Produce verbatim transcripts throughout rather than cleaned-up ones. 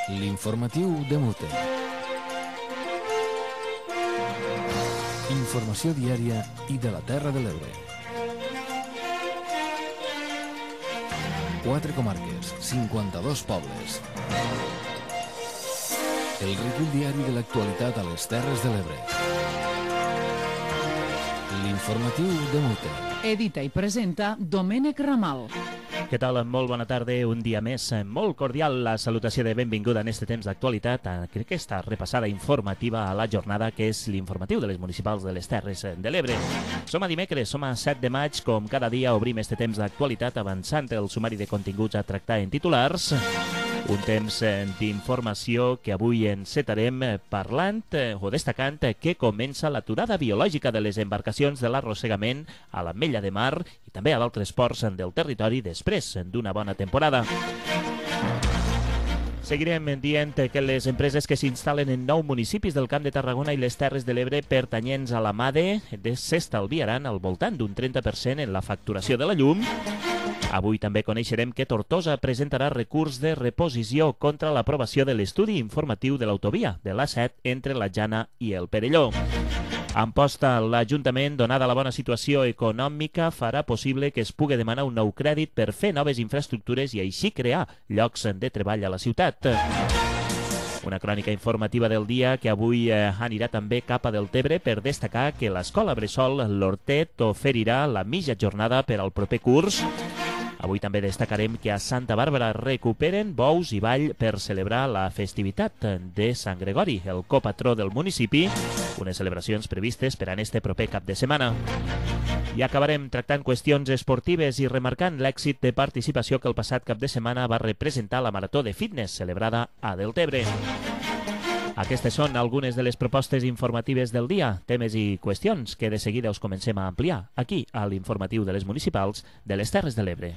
L'informatiu de Mute. Informació diària i de la Terra de l'Ebre. Quatre comarques, cinquanta-dos pobles. El recull diari de l'actualitat a les Terres de l'Ebre. L'informatiu de Mute. Edita i presenta Domènec Ramal. Què tal? Molt bona tarda, un dia més. Molt cordial la salutació de benvinguda en este temps d'actualitat a aquesta repassada informativa a la jornada que és l'informatiu de les municipals de les Terres de l'Ebre. Som a dimecres, som a set de maig, com cada dia obrim este temps d'actualitat avançant el sumari de continguts a tractar en titulars. Un temps d'informació que avui encetarem parlant o destacant que comença l'aturada biològica de les embarcacions de l'arrossegament a l'Ametlla de Mar i també a d'altres ports del territori després d'una bona temporada. Seguirem dient que les empreses que s'instal·len en nou municipis del Camp de Tarragona i les Terres de l'Ebre pertanyents a la MADE s'estalviaran al voltant d'un trenta per cent en la facturació de la llum. Avui també coneixerem que Tortosa presentarà recurs de reposició contra l'aprovació de l'estudi informatiu de l'autovia de l'A set entre la Jana i el Perelló. Amposta, l'Ajuntament, donada la bona situació econòmica, farà possible que es pugui demanar un nou crèdit per fer noves infraestructures i així crear llocs de treball a la ciutat. Una crònica informativa del dia que avui eh, anirà també cap a Deltebre per destacar que l'Escola Bressol l'Hortet oferirà la mitja jornada per al proper curs. Avui també destacarem que a Santa Bàrbara recuperen bous i ball per celebrar la festivitat de Sant Gregori, el copatró del municipi, unes celebracions previstes per a este proper cap de setmana. I acabarem tractant qüestions esportives i remarcant l'èxit de participació que el passat cap de setmana va representar la Marató de Fitness celebrada a Deltebre. Aquestes són algunes de les propostes informatives del dia, temes i qüestions que de seguida us comencem a ampliar aquí a l'informatiu de les municipals de les Terres de l'Ebre.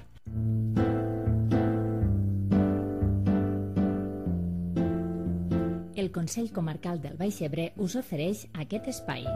El Consell Comarcal del Baix Ebre us ofereix aquest espai.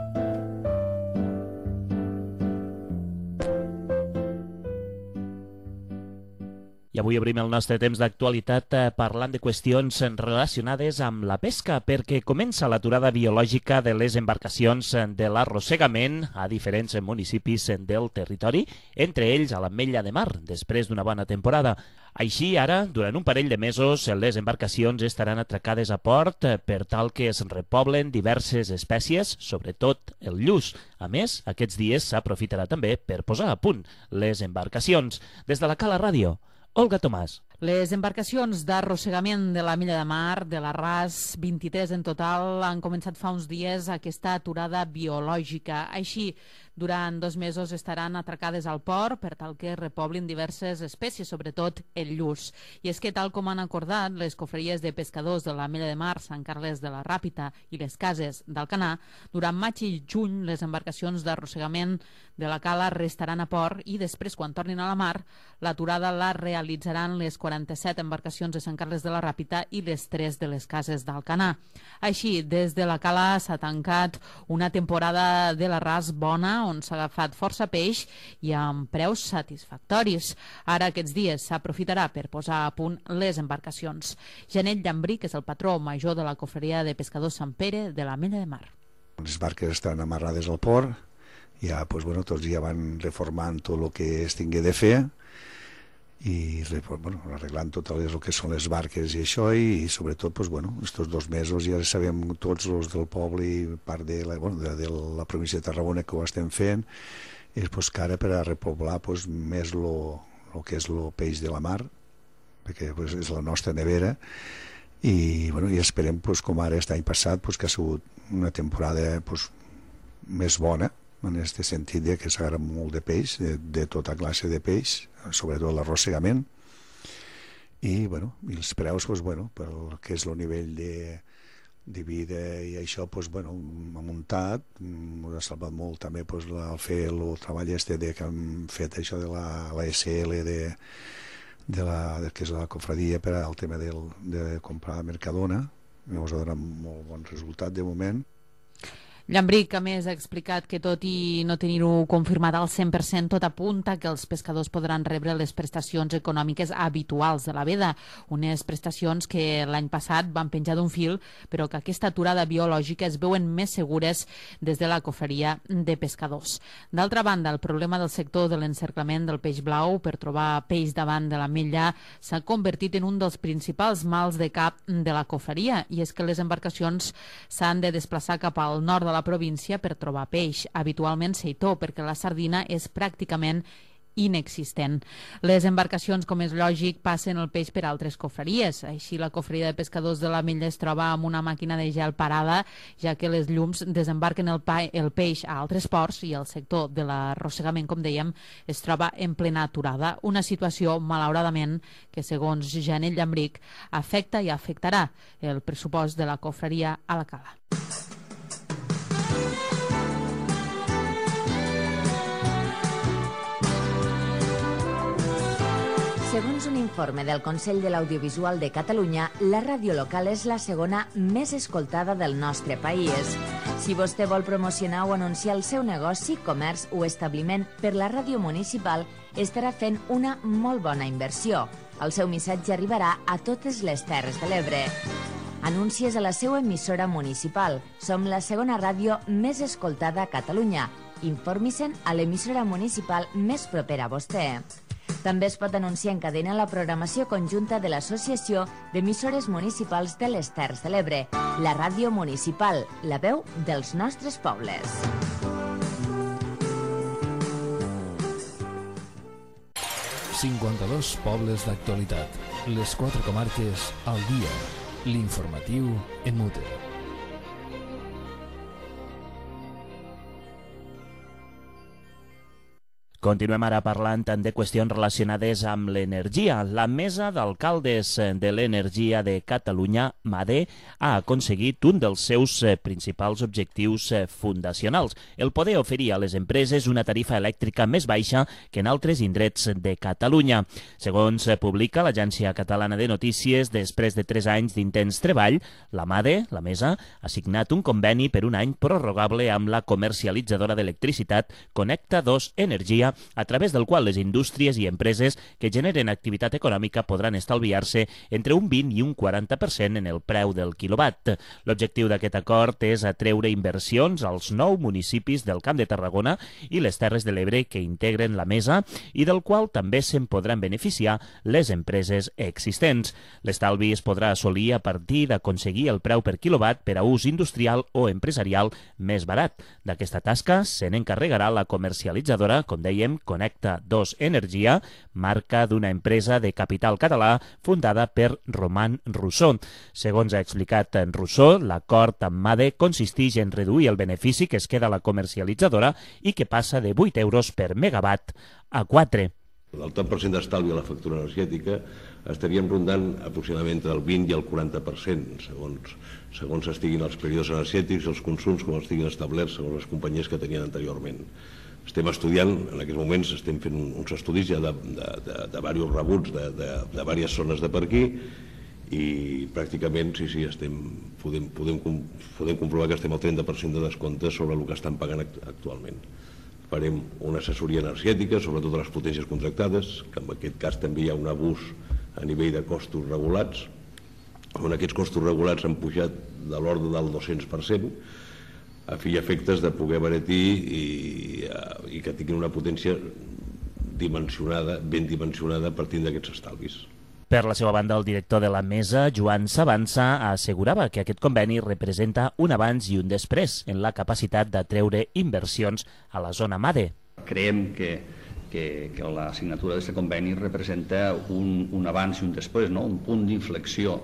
I avui obrim el nostre temps d'actualitat parlant de qüestions relacionades amb la pesca, perquè comença l'aturada biològica de les embarcacions de l'arrossegament a diferents municipis del territori, entre ells a l'Ametlla de Mar, després d'una bona temporada. Així, ara, durant un parell de mesos, les embarcacions estaran atracades a port per tal que es repoblen diverses espècies, sobretot el lluç. A més, aquests dies s'aprofitarà també per posar a punt les embarcacions. Des de la Cala Ràdio, Olga Tomàs. Les embarcacions d'arrossegament de l'Ametlla de Mar, de l'Arràs, vint-i-tres en total, han començat fa uns dies aquesta aturada biològica. Així, durant dos mesos estaran atracades al port per tal que repoblin diverses espècies, sobretot el lluç. I és que, tal com han acordat les cofreries de pescadors de l'Ametlla de Mar, Sant Carles de la Ràpita i les cases d'Alcanar, durant maig i juny les embarcacions d'arrossegament de la cala restaran a port i després, quan tornin a la mar, l'aturada la realitzaran les quaranta-set embarcacions de Sant Carles de la Ràpita i les tres de les cases d'Alcanar. Així, des de la cala s'ha tancat una temporada de l'Arràs bona, on s'ha agafat força peix i amb preus satisfactoris. Ara, aquests dies, s'aprofitarà per posar a punt les embarcacions. Janet Llambrí, que és el patró major de la cofreria de pescadors Sant Pere de l'Ametlla de Mar. Les barques estan amarrades al port, ja, doncs, bueno, tots ja van reformant tot el que es tingué de fer i bueno, arreglant tot el que són les barques i això, i, i sobretot doncs, bueno, estos dos mesos ja sabem tots els del poble i part de la, bueno, de, de la província de Tarragona que ho estem fent, és doncs, que ara per a repoblar doncs, més el que és el peix de la mar, perquè doncs, és la nostra nevera, i, bueno, i esperem doncs, com ara aquest any passat doncs, que ha sigut una temporada doncs, més bona, en aquest sentit de que s'agarra molt de peix, de, de tota classe de peix, sobretot l'arrossegament, i, bueno, i els preus, doncs, bueno, pel que és el nivell de, de vida i això, doncs, bueno, ha muntat, m'ha salvat molt també doncs, el fer el treball este de que hem fet això de la, la S L de, de la, de, que és la cofradia per al tema del, de comprar Mercadona, ens ha donat molt bon resultat de moment. Llambric, a més, ha explicat que tot i no tenir-ho confirmat al cent per cent, tot apunta que els pescadors podran rebre les prestacions econòmiques habituals de la veda, unes prestacions que l'any passat van penjar d'un fil, però que aquesta aturada biològica es veuen més segures des de la cofreria de pescadors. D'altra banda, el problema del sector de l'encerclament del peix blau per trobar peix davant de l'ametlla s'ha convertit en un dels principals mals de cap de la cofreria, i és que les embarcacions s'han de desplaçar cap al nord de la província per trobar peix, habitualment seitó, perquè la sardina és pràcticament inexistent. Les embarcacions, com és lògic, passen el peix per altres cofreries. Així, la cofreria de pescadors de l'Ametlla es troba amb una màquina de gel parada, ja que les llums desembarquen el, pa el peix a altres ports i el sector de l'arrossegament, com dèiem, es troba en plena aturada. Una situació, malauradament, que, segons Janel Llambric, afecta i afectarà el pressupost de la cofreria a la cala. Segons un informe del Consell de l'Audiovisual de Catalunya, la ràdio local és la segona més escoltada del nostre país. Si vostè vol promocionar o anunciar el seu negoci, comerç o establiment per la ràdio municipal, estarà fent una molt bona inversió. El seu missatge arribarà a totes les Terres de l'Ebre. Anuncies a la seva emissora municipal. Som la segona ràdio més escoltada a Catalunya. Informi-se'n a l'emissora municipal més propera a vostè. També es pot anunciar en cadena la programació conjunta de l'Associació d'Emissores Municipals de les Terres de l'Ebre, la ràdio municipal, la veu dels nostres pobles. cinquanta-dos pobles d'actualitat. Les quatre comarques al dia. L'informatiu en Mute. Continuem ara parlant de qüestions relacionades amb l'energia. La Mesa d'Alcaldes de l'Energia de Catalunya, MADE, ha aconseguit un dels seus principals objectius fundacionals, el poder oferir a les empreses una tarifa elèctrica més baixa que en altres indrets de Catalunya. Segons publica l'Agència Catalana de Notícies, després de tres anys d'intens treball, la MADE, la Mesa, ha signat un conveni per un any prorrogable amb la comercialitzadora d'electricitat Connecta dos Energia, a través del qual les indústries i empreses que generen activitat econòmica podran estalviar-se entre un vint i un quaranta per cent en el preu del quilowatt. L'objectiu d'aquest acord és atreure inversions als nou municipis del Camp de Tarragona i les Terres de l'Ebre que integren la mesa i del qual també se'n podran beneficiar les empreses existents. L'estalvi es podrà assolir a partir d'aconseguir el preu per quilowatt per a ús industrial o empresarial més barat. D'aquesta tasca se n'encarregarà la comercialitzadora, com deia, Connecta dos Energia, marca d'una empresa de capital català fundada per Roman Rousseau. Segons ha explicat Rousseau, l'acord amb MADE consisteix en reduir el benefici que es queda a la comercialitzadora i que passa de vuit euros per megawatt a quatre. El tant per cent d'estalvi a la factura energètica estaríem rondant aproximadament el vint i el quaranta per cent, segons, segons estiguin els períodes energètics, els consums, com estiguin establerts segons les companyies que tenien anteriorment. Estem estudiant, en aquests moments estem fent uns estudis ja de, de, de, de diversos rebuts de, de, de diverses zones de per aquí i pràcticament sí, sí, estem, podem, podem, podem comprovar que estem al trenta per cent de descompte sobre el que estan pagant actualment. Farem una assessoria energètica sobre totes les potències contractades, que en aquest cas també hi ha un abús a nivell de costos regulats, on aquests costos regulats han pujat de l'ordre del dos-cents per cent, a fi i efectes de poder abaratir i, i que tinguin una potència dimensionada, ben dimensionada partint d'aquests estalvis. Per la seva banda, el director de la mesa, Joan Sabanza, assegurava que aquest conveni representa un abans i un després en la capacitat d'atreure inversions a la zona MADE. Creiem que, que, que la signatura d'aquest conveni representa un, un abans i un després, no? Un punt d'inflexió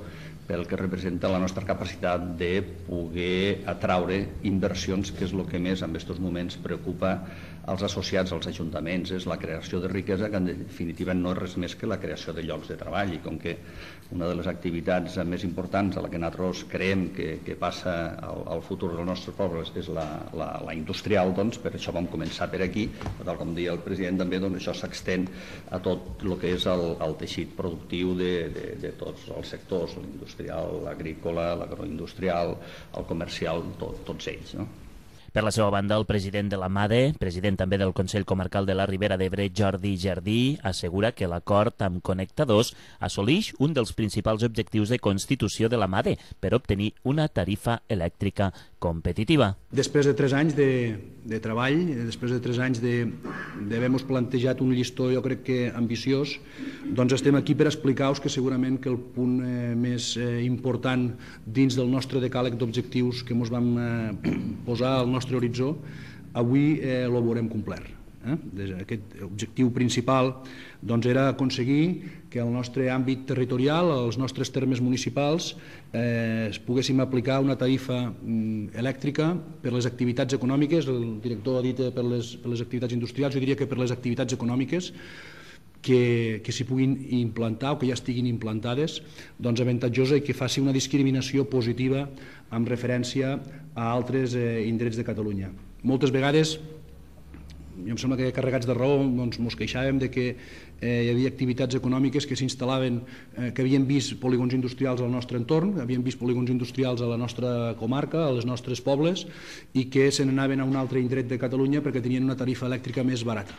pel que representa la nostra capacitat de poder atraure inversions, que és el que més en aquests moments preocupa als associats, als ajuntaments, és la creació de riquesa, que en definitiva no és res més que la creació de llocs de treball, i com que una de les activitats més importants a la que nosaltres creiem que, que passa al, al futur dels nostres pobles és la, la, la industrial, doncs per això vam començar per aquí, tal com deia el president també, doncs això s'extén a tot el que és el, el teixit productiu de, de, de tots els sectors, l'industrial, l'agrícola, l'agroindustrial, el comercial, tot, tots ells, no? Per la seva banda, el president de la MADE, president també del Consell Comarcal de la Ribera d'Ebre, Jordi Jardí, assegura que l'acord amb Connecta dos assoleix un dels principals objectius de constitució de la MADE per obtenir una tarifa elèctrica competitiva. Després de tres anys de, de treball, després de tres anys d'haver-nos plantejat un llistó, jo crec que ambiciós, doncs estem aquí per explicar-vos que segurament que el punt eh, més eh, important dins del nostre decàleg d'objectius que ens vam eh, posar al nostre horitzó, avui eh, el veurem complert. Eh? Aquest objectiu principal doncs, era aconseguir que el nostre àmbit territorial, els nostres termes municipals, eh, poguéssim aplicar una tarifa mm, elèctrica per les activitats econòmiques. El director ha dit eh, per, les, per les activitats industrials, jo diria que per les activitats econòmiques que, que s'hi puguin implantar o que ja estiguin implantades, doncs avantatjosa i que faci una discriminació positiva amb referència a altres eh, indrets de Catalunya. Moltes vegades, jo em sembla que carregats de raó, doncs mos queixàvem de que eh, hi havia activitats econòmiques que s'instal·laven, eh, que havien vist polígons industrials al nostre entorn, havien vist polígons industrials a la nostra comarca, a les nostres pobles, i que se n'anaven a un altre indret de Catalunya perquè tenien una tarifa elèctrica més barata.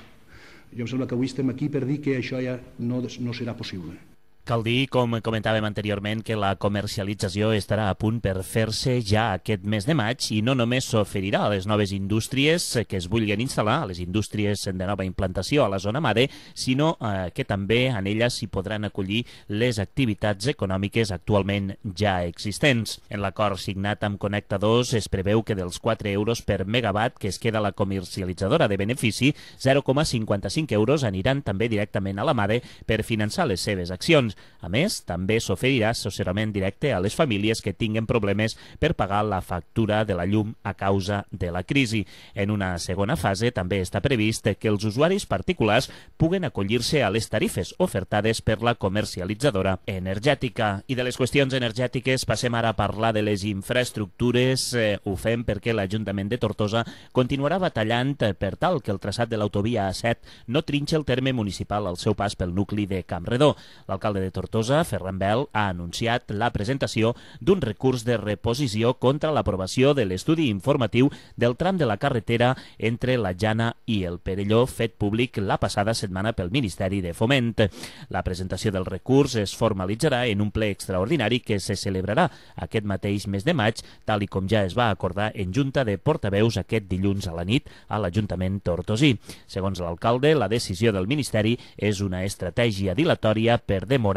Jo em sembla que avui estem aquí per dir que això ja no, no serà possible. Cal dir, com comentàvem anteriorment, que la comercialització estarà a punt per fer-se ja aquest mes de maig i no només s'oferirà a les noves indústries que es vulguin instal·lar, a les indústries de nova implantació a la zona MADE, sinó eh, que també en elles s'hi podran acollir les activitats econòmiques actualment ja existents. En l'acord signat amb Connecta dos es preveu que dels quatre euros per megawatt que es queda la comercialitzadora de benefici, zero coma cinquanta-cinc euros aniran també directament a la MADE per finançar les seves accions. A més, també s'oferirà assessorament directe a les famílies que tinguen problemes per pagar la factura de la llum a causa de la crisi. En una segona fase també està previst que els usuaris particulars puguen acollir-se a les tarifes ofertades per la comercialitzadora energètica. I de les qüestions energètiques passem ara a parlar de les infraestructures. Eh, ho fem perquè l'Ajuntament de Tortosa continuarà batallant per tal que el traçat de l'autovia A set no trinxi el terme municipal al seu pas pel nucli de Campredó. L'alcalde de Tortosa, Ferran Bel, ha anunciat la presentació d'un recurs de reposició contra l'aprovació de l'estudi informatiu del tram de la carretera entre la Jana i el Perelló, fet públic la passada setmana pel Ministeri de Foment. La presentació del recurs es formalitzarà en un ple extraordinari que se celebrarà aquest mateix mes de maig, tal i com ja es va acordar en Junta de Portaveus aquest dilluns a la nit a l'Ajuntament tortosí. Segons l'alcalde, la decisió del Ministeri és una estratègia dilatòria per demorar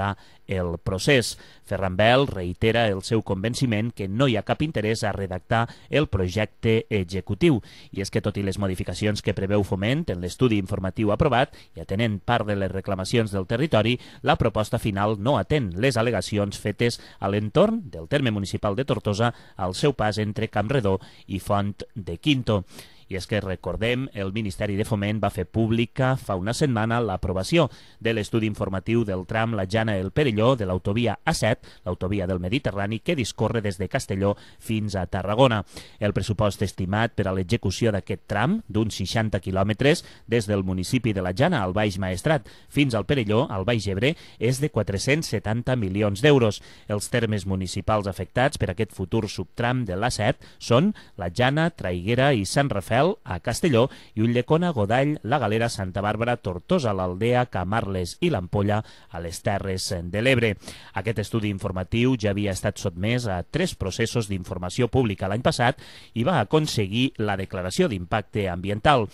el procés. Ferran Bel reitera el seu convenciment que no hi ha cap interès a redactar el projecte executiu. I és que, tot i les modificacions que preveu Foment en l'estudi informatiu aprovat i atenent part de les reclamacions del territori, la proposta final no atén les al·legacions fetes a l'entorn del terme municipal de Tortosa al seu pas entre Campredó i Font de Quinto. I és que, recordem, el Ministeri de Foment va fer pública fa una setmana l'aprovació de l'estudi informatiu del tram La Jana-El Perelló de l'autovia A set, l'autovia del Mediterrani, que discorre des de Castelló fins a Tarragona. El pressupost estimat per a l'execució d'aquest tram, d'uns seixanta quilòmetres, des del municipi de La Jana al Baix Maestrat fins al Perelló, al Baix Ebre, és de quatre-cents setanta milions d'euros. Els termes municipals afectats per aquest futur subtram de l'A set són La Jana, Traiguera i Sant Rafel a Castelló i Ulldecona, Godall, La Galera, Santa Bàrbara, Tortosa, l'Aldea, Camarles i l'Ampolla a les Terres de l'Ebre. Aquest estudi informatiu ja havia estat sotmès a tres processos d'informació pública l'any passat i va aconseguir la declaració d'impacte ambiental.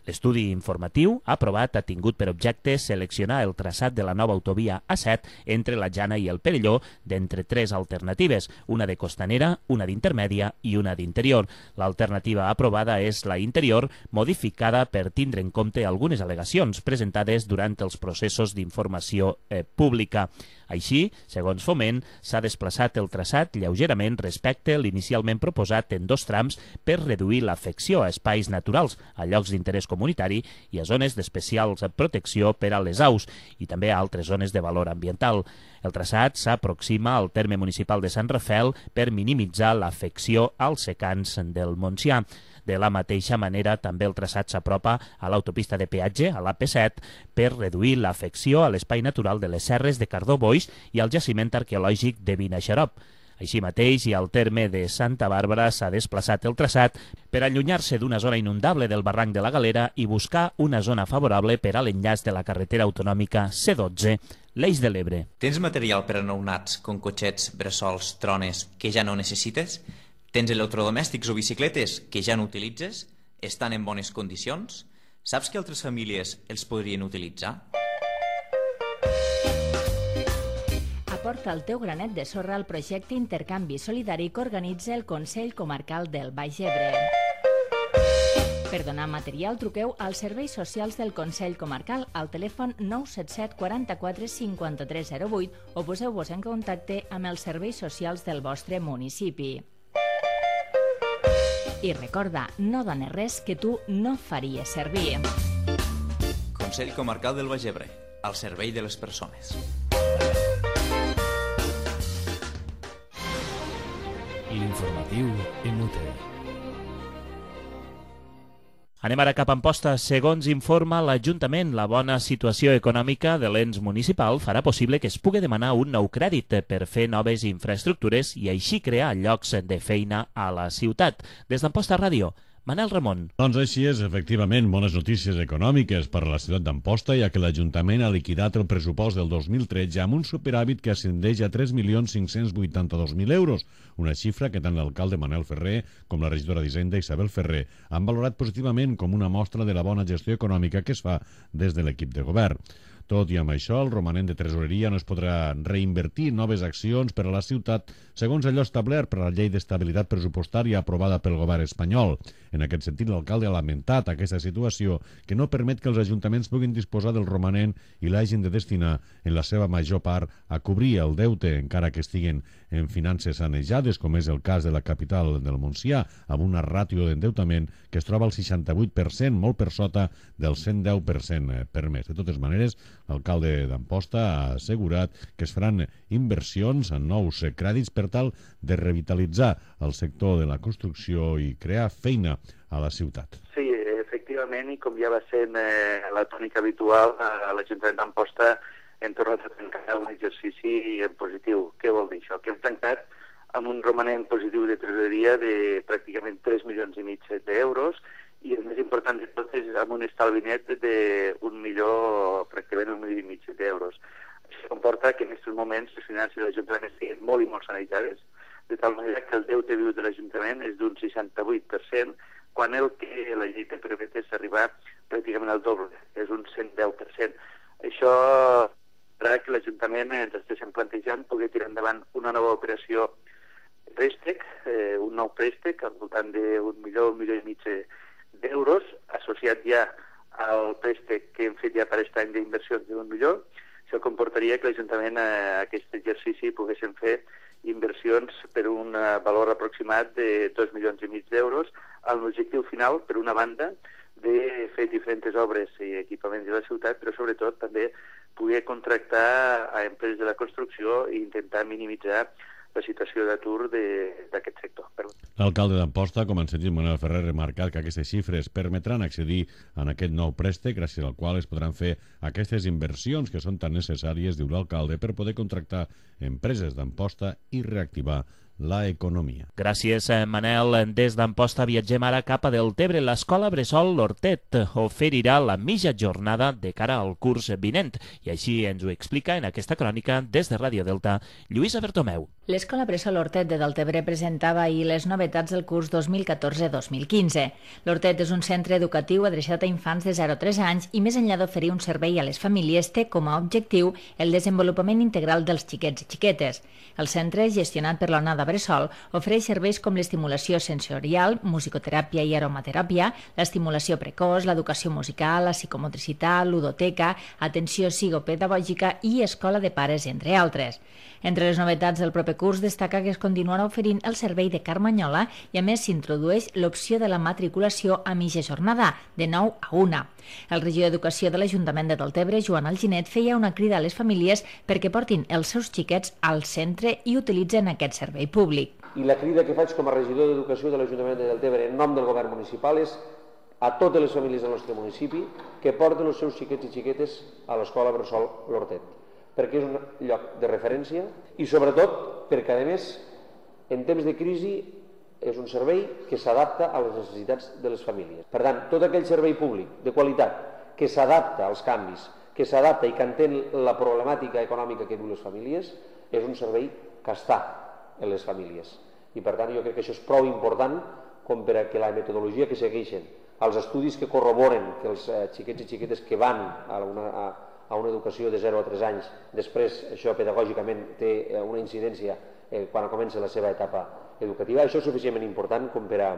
L'estudi informatiu aprovat ha tingut per objecte seleccionar el traçat de la nova autovia A set entre la Jana i el Perelló d'entre tres alternatives, una de costanera, una d'intermèdia i una d'interior. L'alternativa aprovada és la interior, modificada per tindre en compte algunes al·legacions presentades durant els processos d'informació eh, pública. Així, segons Foment, s'ha desplaçat el traçat lleugerament respecte l'inicialment proposat en dos trams per reduir l'afecció a espais naturals, a llocs d'interès comunitari i a zones d'especial protecció per a les aus i també a altres zones de valor ambiental. El traçat s'aproxima al terme municipal de Sant Rafel per minimitzar l'afecció als secans del Montsià. De la mateixa manera, també el traçat s'apropa a l'autopista de peatge, a l'A P set, per reduir l'afecció a l'espai natural de les serres de Cardó-Boix i al jaciment arqueològic de Vinaixerop. Així mateix, i al terme de Santa Bàrbara s'ha desplaçat el traçat per allunyar-se d'una zona inundable del barranc de la Galera i buscar una zona favorable per a l'enllaç de la carretera autonòmica C dotze, l'Eix de l'Ebre. Tens material per a nounats, com cotxets, bressols, trones, que ja no necessites? Tens electrodomèstics o bicicletes que ja no utilitzes? Estan en bones condicions? Saps que altres famílies els podrien utilitzar? Aporta el teu granet de sorra al projecte Intercanvi Solidari que organitza el Consell Comarcal del Baix Ebre. Per donar material, truqueu als serveis socials del Consell Comarcal al telèfon nou set set quaranta-quatre cinquanta-tres zero vuit o poseu-vos en contacte amb els serveis socials del vostre municipi. I recorda, no dones res que tu no faries servir. Consell Comarcal del Baix Ebre, al servei de les persones. L'informatiu en U T E. Anem ara cap a Amposta. Segons informa l'Ajuntament, la bona situació econòmica de l'ens municipal farà possible que es pugui demanar un nou crèdit per fer noves infraestructures i així crear llocs de feina a la ciutat. Des d'Amposta Ràdio, Manel Ramon. Doncs així és, efectivament, bones notícies econòmiques per a la ciutat d'Amposta, ja que l'Ajuntament ha liquidat el pressupost del dos mil tretze amb un superàvit que ascendeix a tres milions cinc-cents vuitanta-dos mil euros, una xifra que tant l'alcalde Manel Ferrer com la regidora d'Hisenda Isabel Ferrer han valorat positivament com una mostra de la bona gestió econòmica que es fa des de l'equip de govern. Tot i amb això, el romanent de tresoreria no es podrà reinvertir en noves accions per a la ciutat segons allò establert per la Llei d'Estabilitat Pressupostària aprovada pel govern espanyol. En aquest sentit, l'alcalde ha lamentat aquesta situació que no permet que els ajuntaments puguin disposar del romanent i l'hagin de destinar en la seva major part a cobrir el deute, encara que estiguen en finances sanejades, com és el cas de la capital del Montsià, amb una ràtio d'endeutament que es troba al seixanta-vuit per cent, molt per sota del cent deu per cent permès. De totes maneres, l'alcalde d'Amposta ha assegurat que es faran inversions en nous crèdits per tal de revitalitzar el sector de la construcció i crear feina a la ciutat. Sí, efectivament, i com ja va ser eh, la tònica habitual, a l'Ajuntament d'Amposta hem tornat a tancar un exercici en positiu. Què vol dir això? Que hem tancat amb un romanent positiu de tresoreria de pràcticament tres milions i mig d'euros, i el més important de tot és amb un estalvi net d'un milió, pràcticament un milió i mig d'euros. Això comporta que en aquests moments les finances de l'Ajuntament estiguin molt i molt sanejades, de tal manera que el deute viu de l'Ajuntament és d'un seixanta-vuit per cent, quan el que la llei te permet és arribar pràcticament al doble, és un cent deu per cent. Això farà que l'Ajuntament ens estiguem plantejant poder tirar endavant una nova operació de préstec, eh, un nou préstec al voltant d'un milió, un milió i mig d'euros, associat ja al préstec que hem fet ja per aquest any d'inversions d'un milió. Això comportaria que l'Ajuntament a aquest exercici poguéssim fer inversions per un valor aproximat de dos milions i mig d'euros, amb l'objectiu final, per una banda, de fer diferents obres i equipaments de la ciutat, però sobretot també poder contractar a empreses de la construcció i intentar minimitzar la situació d'atur d'aquest sector. L'alcalde d'Amposta, com en sentit Manel Ferrer, ha remarcat que aquestes xifres permetran accedir a aquest nou préstec, gràcies al qual es podran fer aquestes inversions que són tan necessàries, diu l'alcalde, per poder contractar empreses d'Amposta i reactivar la economia. Gràcies, Manel. Des d'Amposta viatgem ara cap a Deltebre. L'Escola Bressol L'Hortet oferirà la mitja jornada de cara al curs vinent. I així ens ho explica en aquesta crònica des de Ràdio Delta, Lluïsa Bertomeu. L'Escola Bressol L'Hortet de Deltebre presentava ahir les novetats del curs dos mil catorze dos mil quinze. L'Hortet és un centre educatiu adreçat a infants de zero a tres anys i, més enllà d'oferir un servei a les famílies, té com a objectiu el desenvolupament integral dels xiquets i xiquetes. El centre, gestionat per l'Onada Bressol, ofereix serveis com l'estimulació sensorial, musicoteràpia i aromateràpia, l'estimulació precoç, l'educació musical, la psicomotricitat, ludoteca, atenció psicopedagògica i escola de pares, entre altres. Entre les novetats del proper curs destaca que es continuarà oferint el servei de carmanyola i a més s'introdueix l'opció de la matriculació a mitja jornada, de nou a una. El regidor d'Educació de l'Ajuntament de Deltebre, Joan Alginet, feia una crida a les famílies perquè portin els seus xiquets al centre i utilitzen aquest servei públic. I la crida que faig com a regidor d'Educació de l'Ajuntament de Deltebre en nom del govern municipal és a totes les famílies del nostre municipi que porten els seus xiquets i xiquetes a l'Escola Bressol L'Hortet, perquè és un lloc de referència i sobretot perquè, a més, En temps de crisi és un servei que s'adapta a les necessitats de les famílies. Per tant, tot aquell servei públic de qualitat que s'adapta als canvis, que s'adapta i que entén la problemàtica econòmica que viuen les famílies, és un servei que està en les famílies. I per tant jo crec que això és prou important com per a que la metodologia que segueixen, els estudis que corroboren que els xiquets i xiquetes que van a una, a, a una educació de zero a tres anys, després això pedagògicament té una incidència eh, quan comença la seva etapa educativa, això és suficientment important com per a,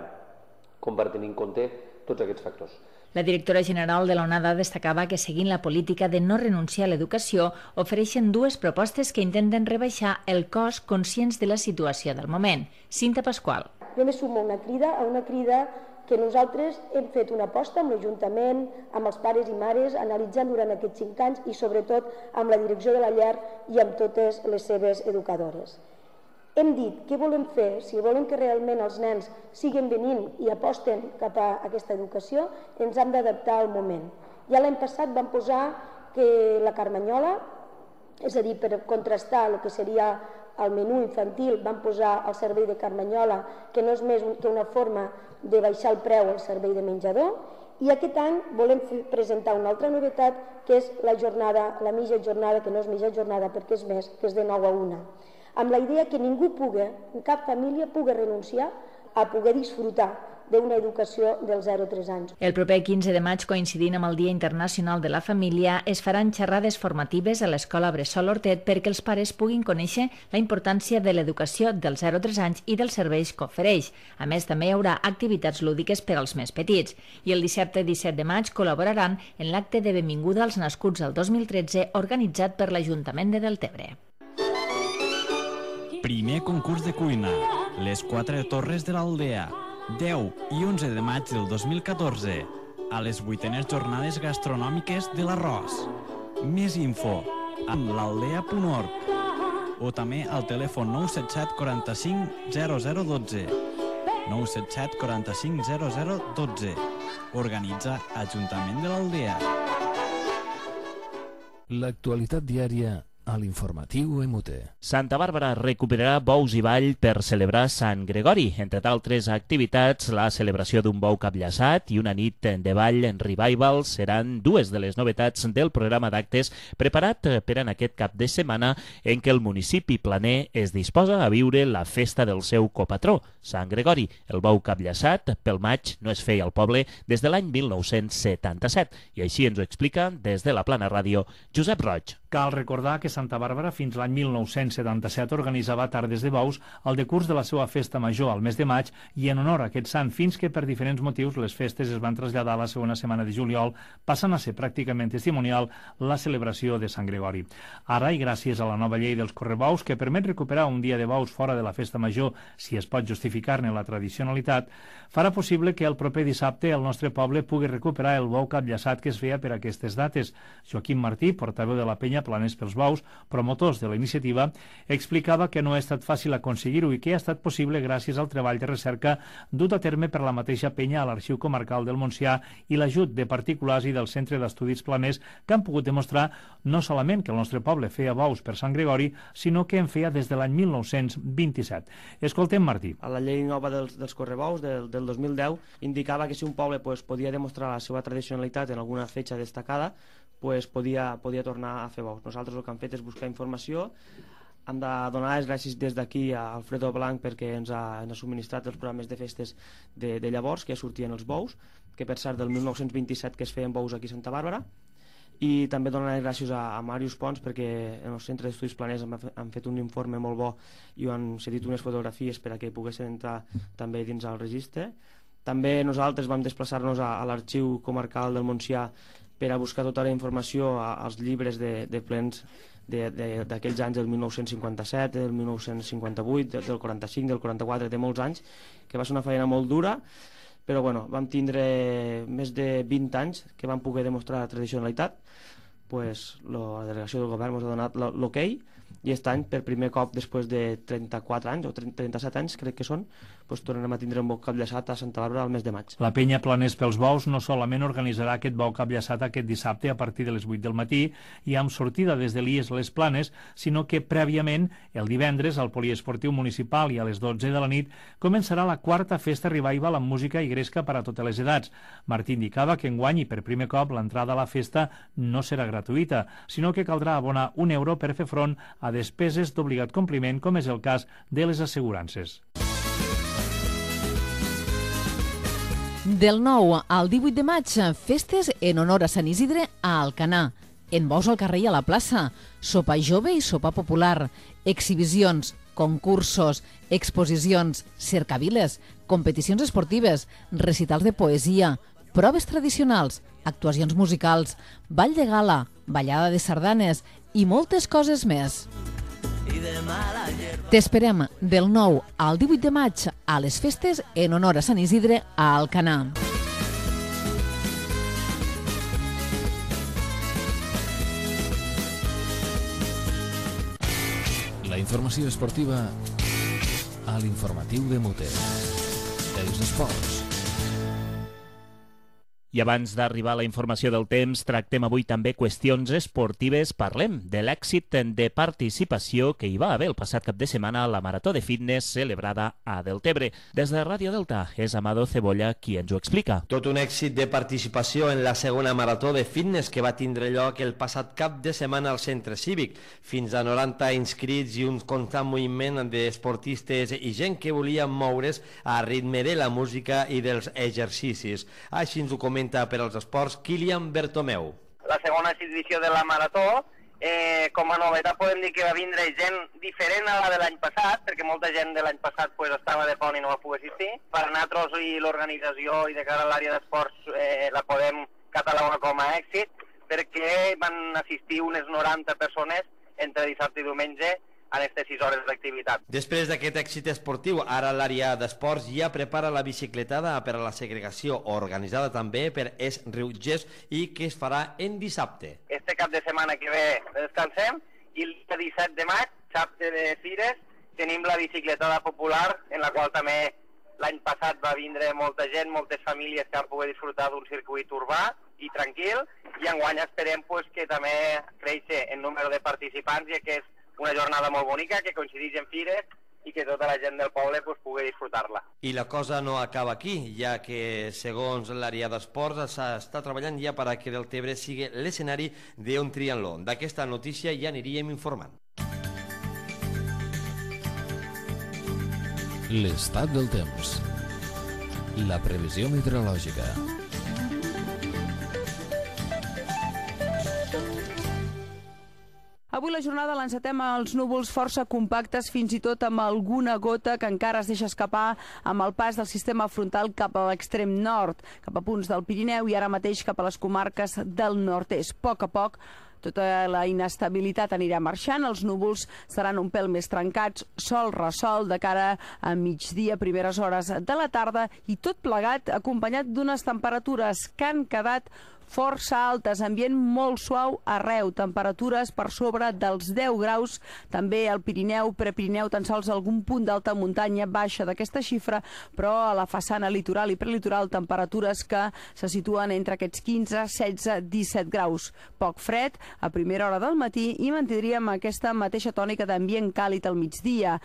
com per tenir en compte tots aquests factors. La directora general de l'ONADA destacava que, seguint la política de no renunciar a l'educació, ofereixen dues propostes que intenten rebaixar el cost conscients de la situació del moment. Cinta Pasqual. Jo me sumo a una crida, a una crida que nosaltres hem fet una aposta amb l'Ajuntament, amb els pares i mares, analitzant durant aquests cinc anys i sobretot amb la direcció de la llar i amb totes les seves educadores. Hem dit què volem fer, si volem que realment els nens siguen venint i aposten cap a aquesta educació, ens hem d'adaptar al moment. Ja l'any passat vam posar que la carmanyola, és a dir, per contrastar el que seria el menú infantil, vam posar el servei de carmanyola, que no és més que una forma de baixar el preu al servei de menjador, i aquest any volem presentar una altra novetat, que és la jornada, la mitja jornada, que no és mitja jornada perquè és més, que és de nou a una. Amb la idea que ningú pugui, cap família pugui renunciar a poder disfrutar d'una educació dels zero a tres anys. El proper quinze de maig, coincidint amb el Dia Internacional de la Família, es faran xerrades formatives a l'Escola Bressol Hortet perquè els pares puguin conèixer la importància de l'educació dels zero a tres anys i dels serveis que ofereix. A més, també hi haurà activitats lúdiques per als més petits. I el dissabte i disset de maig col·laboraran en l'acte de benvinguda als nascuts el dos mil tretze organitzat per l'Ajuntament de Deltebre. Primer concurs de cuina, les quatre torres de l'Aldea, deu i onze de maig del dos mil catorze, a les vuitenes jornades gastronòmiques de l'Arròs. Més info amb l'aldea punt org o també al telèfon nou set set quaranta-cinc zero zero dotze. nou set set quaranta-cinc zero zero dotze. Organitza Ajuntament de l'Aldea. L'actualitat diària a l'informatiu M U T. Santa Bàrbara recuperarà bous i ball per celebrar Sant Gregori. Entre d'altres activitats, la celebració d'un bou capllaçat i una nit de ball en revival seran dues de les novetats del programa d'actes preparat per en aquest cap de setmana en què el municipi planer es disposa a viure la festa del seu copatró, Sant Gregori. El bou capllaçat pel maig no es feia al poble des de l'any mil nou-cents setanta-set i així ens ho explica des de la Plana Ràdio Josep Roig. Cal recordar que Santa Bàrbara fins l'any mil nou-cents setanta-set organitzava tardes de bous al decurs de la seva festa major al mes de maig i en honor a aquest sant, fins que per diferents motius les festes es van traslladar a la segona setmana de juliol, passant a ser pràcticament testimonial la celebració de Sant Gregori. Ara, i gràcies a la nova llei dels correbous, que permet recuperar un dia de bous fora de la festa major si es pot justificar-ne la tradicionalitat, farà possible que el proper dissabte el nostre poble pugui recuperar el bou capllaçat que es feia per aquestes dates. Joaquim Martí, portaveu de la penya Planers pels Bous, promotors de la iniciativa, explicava que no ha estat fàcil aconseguir-ho i que ha estat possible gràcies al treball de recerca dut a terme per la mateixa penya a l'Arxiu Comarcal del Montsià i l'ajut de particulars i del Centre d'Estudis Planers que han pogut demostrar no solament que el nostre poble feia bous per Sant Gregori, sinó que en feia des de l'any mil nou-cents vint-i-set. Escoltem Martí. A la llei nova dels, dels correbous del, del dos mil deu indicava que si un poble pues, podia demostrar la seva tradicionalitat en alguna fetge destacada, pues, podia, podia tornar a fer bous. Nosaltres el que hem fet és buscar informació. Hem de donar les gràcies des d'aquí a Alfredo Blanc perquè ens ha, ens ha subministrat els programes de festes de, de llavors que ja sortien els bous, que per cert del mil nou-cents vint-i-set que es feien bous aquí a Santa Bàrbara, i també donar les gràcies a, a Màrius Pons perquè en el Centre d'Estudis Planers han, han fet un informe molt bo i han cedit unes fotografies per a que poguessin entrar també dins el registre. També nosaltres vam desplaçar-nos a, a l'Arxiu Comarcal del Montsià per a buscar tota la informació als llibres de, de plens d'aquells anys del mil nou-cents cinquanta-set, del mil nou-cents cinquanta-vuit, del quaranta-cinc, del quaranta-quatre, de molts anys, que va ser una feina molt dura, però bueno, vam tindre més de vint anys que vam poder demostrar la tradicionalitat, pues, lo, la delegació del govern ens ha donat l'ok, i aquest any, per primer cop després de trenta-quatre anys o trenta-set anys, crec que són, doncs tornarem a tindre un bou capllaçat a Santa Bàrbara al mes de maig. La penya Planers pels Bous no solament organitzarà aquest bou capllaçat aquest dissabte a partir de les vuit del matí i amb sortida des de l'I E S Les Planes, sinó que prèviament, el divendres, al Poliesportiu Municipal i a les dotze de la nit, començarà la quarta festa revival amb música i gresca per a totes les edats. Martí indicava que enguany i per primer cop l'entrada a la festa no serà gratuïta, sinó que caldrà abonar un euro per fer front a despeses d'obligat compliment, com és el cas de les assegurances. Del nou al divuit de maig, festes en honor a Sant Isidre a Alcanar. En bous al carrer i a la plaça, sopa jove i sopa popular, exhibicions, concursos, exposicions, cercaviles, competicions esportives, recitals de poesia, proves tradicionals, actuacions musicals, ball de gala, ballada de sardanes i moltes coses més. T'esperem del nou al divuit de maig a les festes en honor a Sant Isidre a Alcanar. La informació esportiva a l'informatiu de Muter. Els esports. I abans d'arribar a la informació del temps, tractem avui també qüestions esportives. Parlem de l'èxit de participació que hi va haver el passat cap de setmana a la Marató de Fitness celebrada a Deltebre. Des de Ràdio Delta és Amado Cebolla qui ens ho explica. Tot un èxit de participació en la segona Marató de Fitness que va tindre lloc el passat cap de setmana al Centre Cívic. Fins a noranta inscrits i un constant moviment d'esportistes i gent que volia moure's a ritme de la música i dels exercicis. Així ens ho comenta per als esports Kilian Bertomeu. La segona edició de la Marató, eh, com a novetat podem dir que va vindre gent diferent a la de l'any passat, perquè molta gent de l'any passat pues, estava de pont i no va poder assistir. Per nosaltres i l'organització i de cara a l'àrea d'esports eh, la podem catalogar com a èxit, perquè van assistir unes noranta persones entre dissabte i diumenge en aquestes sis hores d'activitat. Després d'aquest èxit esportiu, ara l'àrea d'esports ja prepara la bicicletada per a la segregació, organitzada també per Es Riutgers i que es farà en dissabte. Este cap de setmana que ve descansem i el dia disset de maig, dissabte de Fires, tenim la bicicletada popular, en la qual també l'any passat va vindre molta gent, moltes famílies que han pogut disfrutar d'un circuit urbà i tranquil, i enguany esperem pues, que també creixi en número de participants, ja que és una jornada molt bonica que coincideix en Fires i que tota la gent del poble pues, pugui disfrutar-la. I la cosa no acaba aquí, ja que segons l'àrea d'esports s'està treballant ja per a que Deltebre sigui l'escenari d'un triatló. D'aquesta notícia ja aniríem informant. L'estat del temps. La previsió meteorològica. Avui la jornada l'encetem als núvols força compactes, fins i tot amb alguna gota que encara es deixa escapar amb el pas del sistema frontal cap a l'extrem nord, cap a punts del Pirineu i ara mateix cap a les comarques del nord-est. A poc a poc, tota la inestabilitat anirà marxant, els núvols seran un pèl més trencats, sol ressol de cara a migdia, primeres hores de la tarda, i tot plegat acompanyat d'unes temperatures que han quedat força altes, ambient molt suau arreu, temperatures per sobre dels deu graus, també al Pirineu, Prepirineu, tan sols algun punt d'alta muntanya baixa d'aquesta xifra, però a la façana litoral i prelitoral temperatures que se situen entre aquests quinze, setze, disset graus. Poc fred a primera hora del matí i mantindríem aquesta mateixa tònica d'ambient càlid al migdia.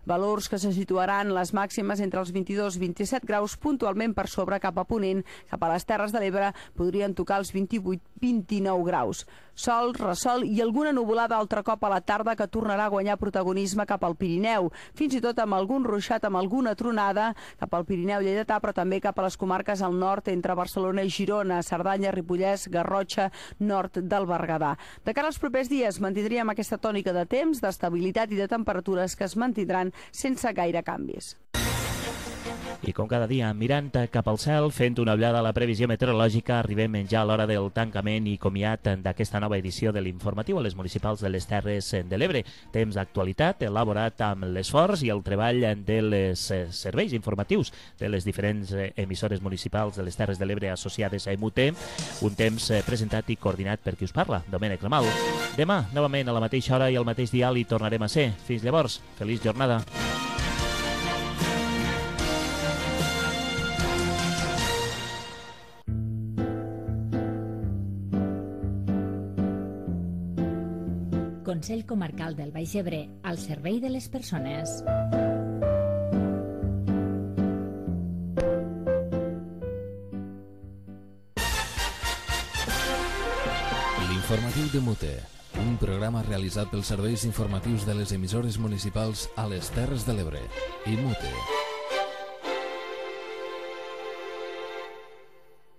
Valors que se situaran les màximes entre els vint-i-dos i vint-i-set graus, puntualment per sobre cap a Ponent, cap a les Terres de l'Ebre podrien tocar els vint-i-vuit a vint-i-nou graus. Sol, ressol i alguna nuvolada altre cop a la tarda que tornarà a guanyar protagonisme cap al Pirineu, fins i tot amb algun ruixat, amb alguna tronada cap al Pirineu lleidatà, però també cap a les comarques al nord entre Barcelona i Girona, Cerdanya, Ripollès, Garrotxa, nord del Berguedà. De cara als propers dies mantindríem aquesta tònica de temps, d'estabilitat i de temperatures que es mantindran sense gaire canvis. I com cada dia, mirant cap al cel, fent una ullada a la previsió meteorològica, arribem ja a l'hora del tancament i comiat d'aquesta nova edició de l'informatiu a les municipals de les Terres de l'Ebre. Temps d'actualitat elaborat amb l'esforç i el treball dels serveis informatius de les diferents emissores municipals de les Terres de l'Ebre associades a E M U T. Un temps presentat i coordinat per qui us parla, Domènec Lamal. Demà, novament a la mateixa hora i al mateix dial hi tornarem a ser. Fins llavors, feliç jornada. Consell Comarcal del Baix Ebre, al servei de les persones. L'informatiu de Mute, un programa realitzat pels serveis informatius de les emissores municipals a les Terres de l'Ebre. I Mute.